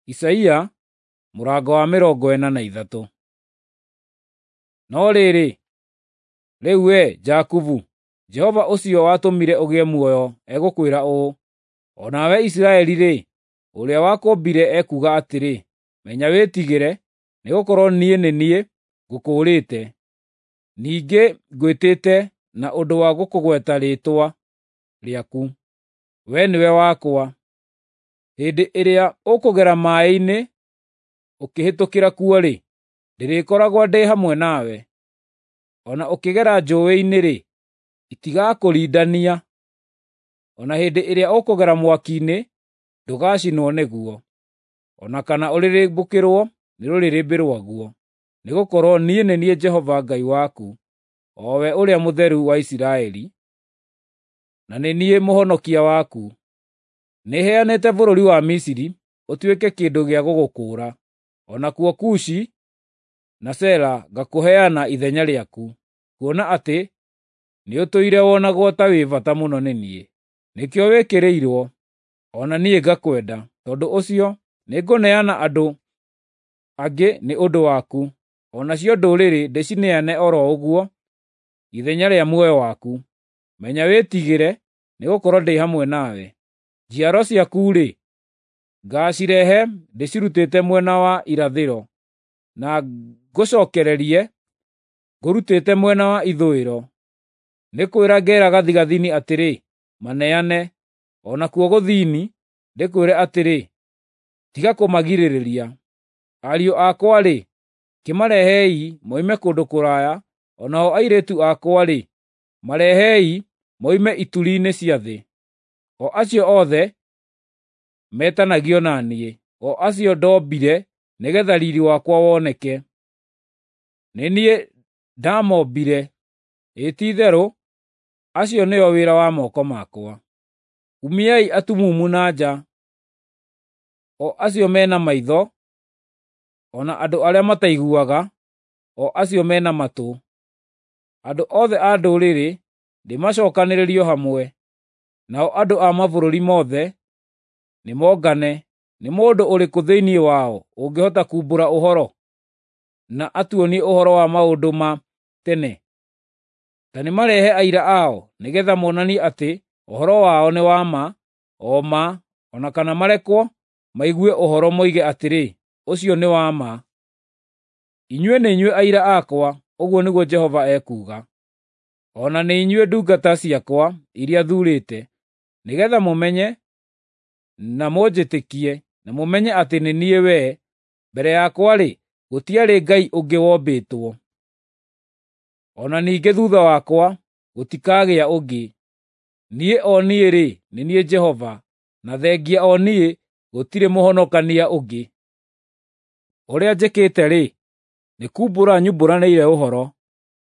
Isaia mũrango wa 43. No rĩrĩ, rĩu wee Jakubu, Jehova ũcio watũmire ũgĩe muoyo egũkwĩra ũũ, o nawe Isiraeli-rĩ, ũrĩa wakũũmbire ekuuga atĩrĩ, menya wĩtigĩre, nĩgũkorwo niĩ nĩ niĩ ngũkũũrĩte, ningĩ ngwĩtĩte na ũndũ wa gũkũgweta rĩĩtwa rĩaku, wee nĩwe wakwa. Hĩndĩ ĩrĩa ũkũgera maaĩ-inĩ ũkĩhĩtũkĩra kuo-rĩ, ndĩrĩkoragwo ndĩ hamwe nawe. O na ũkĩgera njũũĩ-inĩ-rĩ, itigakũrindania. O na hĩndĩ ĩrĩa ũkũgera mwaki-inĩ, ndũgacinwo nĩguo, o na kana ũrĩrĩmbũkĩrwo nĩ rũrĩrĩmbĩ rwaguo. Nĩgũkorwo niĩ nĩ niĩ Jehova Ngai waku, o we Ũrĩa Mũtheru wa Isiraeli, na nĩ niĩ Mũhonokia waku. Nĩheanĩte bũrũri wa Misiri ũtuĩke kĩndũ gĩa gũgũkũũra, o nakuo Kushi na Sela ngakũheana ithenya rĩaku, kuona atĩ nĩũtũire wonagwo ta wĩ bata mũno nĩ niĩ. Nĩkĩo wĩkĩrĩirwo, o na niĩ ngakwenda. Tondũ ũcio nĩngũneana andũ angĩ nĩ ũndũ waku, o nacio ndũrĩrĩ ndĩcineane o ro ũguo ithenya rĩa muoyo waku. Menya wĩtigĩre, nĩgũkorwo ndĩ hamwe nawe. Njiaro ciaku-rĩ, ngaacirehe ndĩcirutĩte mwena wa irathĩro, na ngũcookererie ngũrutĩte mwena wa ithũĩro. Nĩ kwĩra ngeera gathigathini atĩrĩ, 'Maneane,' o nakuo gũthini ndĩkwĩre atĩrĩ, 'Tiga kũmagirĩrĩria.' Ariũ akwa-rĩ, kĩmarehei moime kũndũ kũraya, o nao airĩtu akwa-rĩ, marehei moime ituri-inĩ cia thĩ, o acio othe metanagio na niĩ, o acio ndombire nĩgeetha riiri wakwa woneke. Nĩ niĩ ndaamombire, ĩĩ ti-itherũ, acio nĩo wĩra wa moko makwa. Umiai atumumu na nja, o acio me na maitho, o na andũ arĩa mataiguaga, o acio me na matũ. Andũ othe a ndũrĩrĩ nĩmacookanĩrĩrio hamwe, nao andũ a mabũrũri mothe nĩmongane. Nĩ mũndũ ũrĩkũ thĩinĩ wao ũngĩhota kuumbũra ũhoro, na atuonie ũhoro wa maũndũ ma tene? Ta nĩmarehe aira ao, nĩgeetha monanie atĩ ũhoro wao nĩ wa ma, o ma, o na kana marekwo maigue ũhoro moige atĩrĩ, ‘Ũcio nĩ wa ma.’ Inyuĩ nĩ inyuĩ aira akwa, ũguo nĩguo Jehova ekuuga, o na nĩ inyuĩ ndungata ciakwa iria thuurĩte, nĩgeetha mũmenye na mũnjĩtĩkie, na mũmenye atĩ nĩ niĩ we. Mbere yakwa-rĩ, gũtiarĩ Ngai ũngĩ wombĩtwo, o na ningĩ thuutha wakwa gũtikagĩa ũngĩ. Niĩ o niĩ-rĩ, nĩ niĩ Jehova, na thengia o niĩ gũtirĩ mũhonokania ũngĩ. Ũrĩa njĩkĩte-rĩ, nĩ kuumbũra nyumbũranĩire ũhoro,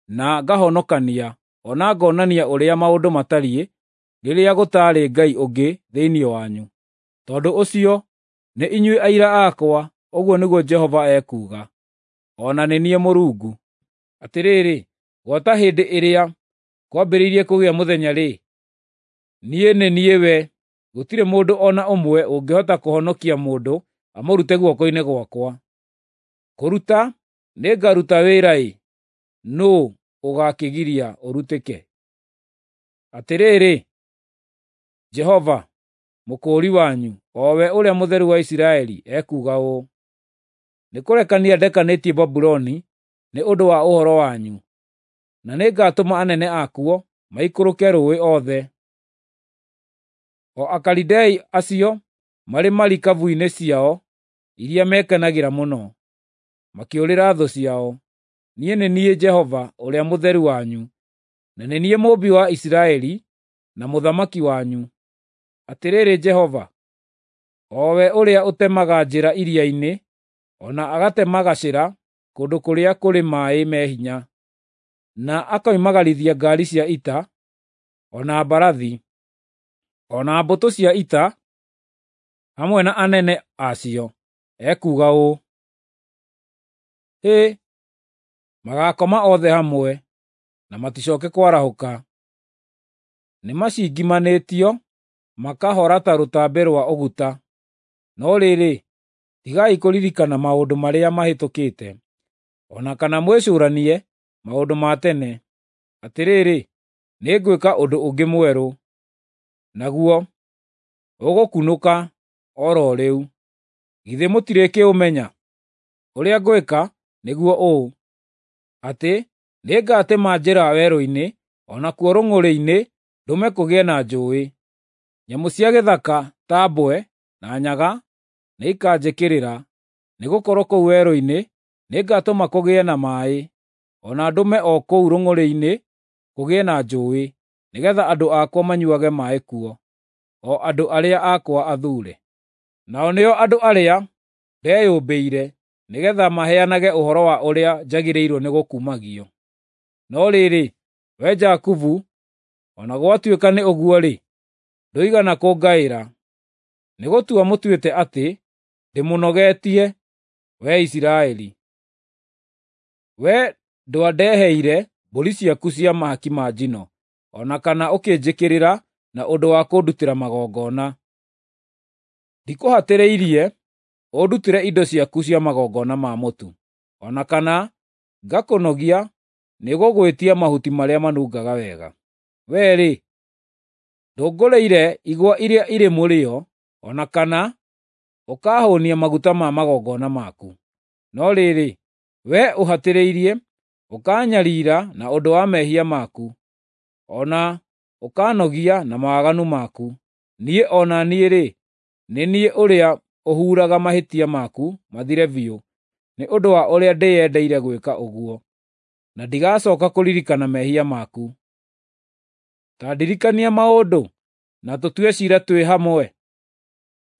na ngahonokania, o na ngonania ũrĩa maũndũ matariĩ rĩrĩa gũtaarĩ Ngai ũngĩ thĩinĩ wanyu. Tondũ ũcio nĩ inyuĩ aira akwa, ũguo nĩguo Jehova ekuuga, o na nĩ niĩ Mũrungu. Atĩrĩrĩ, gwata hĩndĩ ĩrĩa kwambĩrĩirie kũgĩa mũthenya-rĩ, niĩ nĩ niĩ we. Gũtirĩ mũndũ o na ũmwe ũngĩhota kũhonokia mũndũ amũrute guoko-inĩ gwakwa. Kũruta nĩngaruta wĩra-ĩ, nũũ ũgaakĩgiria ũrutĩke? Atĩrĩrĩ, Jehova, Mũkũũri wanyu, o we Ũrĩa Mũtheru wa Isiraeli, ekuuga ũũ: Nĩkũrekania ndekanĩtie Babuloni nĩ ũndũ wa ũhoro wanyu, na nĩngatũma anene akuo maikũrũke rũũĩ othe, o Akalidei acio marĩ marikabu-inĩ ciao iria mekenagĩra mũno, makĩũrĩra thũ ciao. Niĩ nĩ niĩ Jehova Ũrĩa Mũtheru wanyu, na nĩ niĩ Mũũmbi wa Isiraeli, na Mũthamaki wanyu. Atĩrĩrĩ Jehova, o we ũrĩa ũtemaga njĩra iria-inĩ, o na agatema gacĩra kũndũ kũrĩa kũrĩ maaĩ me hinya, na akoimagarithia ngaari cia ita, o na mbarathi, o na mbũtũ cia ita, hamwe na anene a cio, ekuuga ũũ: Hĩ, magaakoma othe hamwe, na maticooke kwarahũka. Nĩmacingimanĩtio makahora ta rũtambĩ rwa ũguta. No rĩrĩ, Tigai kũririkana maũndũ marĩa mahĩtũkĩte, o na kana mwĩcũranie maũndũ ma tene. Atĩrĩrĩ, nĩngwĩka ũndũ ũngĩ mwerũ, naguo ũgũkunũka o ro rĩu. Githĩ mũtirĩkĩũmenya? Ũrĩa ngwĩka nĩguo ũũ, atĩ nĩngatema njĩra werũ-inĩ, o nakuo rũng'ũrĩ-inĩ ndũme kũgĩe na njũũĩ. Nyamũ cia gĩthaka ta mbwe na nyaga nĩikanjĩkĩrĩra, nĩgũkorwo kũu werũ-inĩ nĩngatũma kũgĩe na maaĩ, o na ndũme o kũu rũng'ũrĩ-inĩ kũgĩe na njũũĩ, nĩgeetha andũ akwa manyuuage maaĩ kuo, o andũ arĩa akwa athuure. Nao nĩo andũ arĩa ndeyũmbĩire, nĩgeetha maheanage ũhoro wa ũrĩa njagĩrĩirwo nĩgũkumagio. No rĩrĩ, wee Jakubu, o na gwatuĩka nĩ ũguo-rĩ, ndũigana kũngaĩra. Nĩgũtua mũtuĩte atĩ ndĩmũnogetie, wee Isiraeli. Wee ndwandeheire mbũri ciaku cia mahaki ma njino, o na kana ũkĩnjĩkĩrĩra na ũndũ wa kũndutĩra magongona. Ndikũhatĩrĩirie ũndutĩre indo ciaku cia magongona ma mũtu, o na kana ngakũnogia nĩgũgwĩtia mahuti marĩa manungaga wega. Wee-rĩ, ndũngũrĩire igwa iria irĩ mũrĩo, o na kana ũkaahũũnia maguta ma magongona maku. No rĩrĩ, wee ũhatĩrĩirie, ũkaanyariira na ũndũ wa mehia maku, o na ũkaanogia na mawaganu maku. Niĩ o na niĩ-rĩ, nĩ niĩ ũrĩa ũhuuraga mahĩtia maku mathire biũ nĩ ũndũ wa ũrĩa ndĩyendeire gwĩka ũguo, na ndigacooka kũririkana mehia maku. Ta ndirikania maũndũ, na tũtue ciira twĩ hamwe.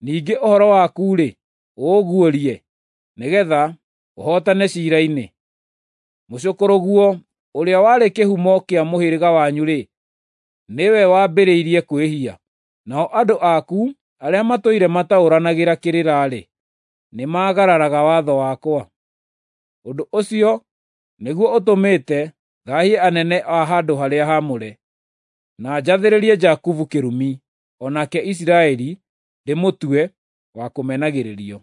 Ningĩ ũhoro waku-rĩ, ũũguũrie, nĩgeetha ũhootane ciira-inĩ. Mũcũkũrũguo ũrĩa warĩ kĩhumo kĩa mũhĩrĩga wanyu-rĩ, nĩwe wambĩrĩirie kwĩhia, nao andũ aku arĩa matũire mataũranagĩra kĩrĩra-rĩ, nĩmagararaga watho wakwa. Ũndũ ũcio nĩguo ũtũmĩte thaahie anene a handũ-harĩa-haamũre, na njathĩrĩrie Jakubu kĩrumi, o nake Isiraeli ndĩmũtue wa kũmenagĩrĩrio.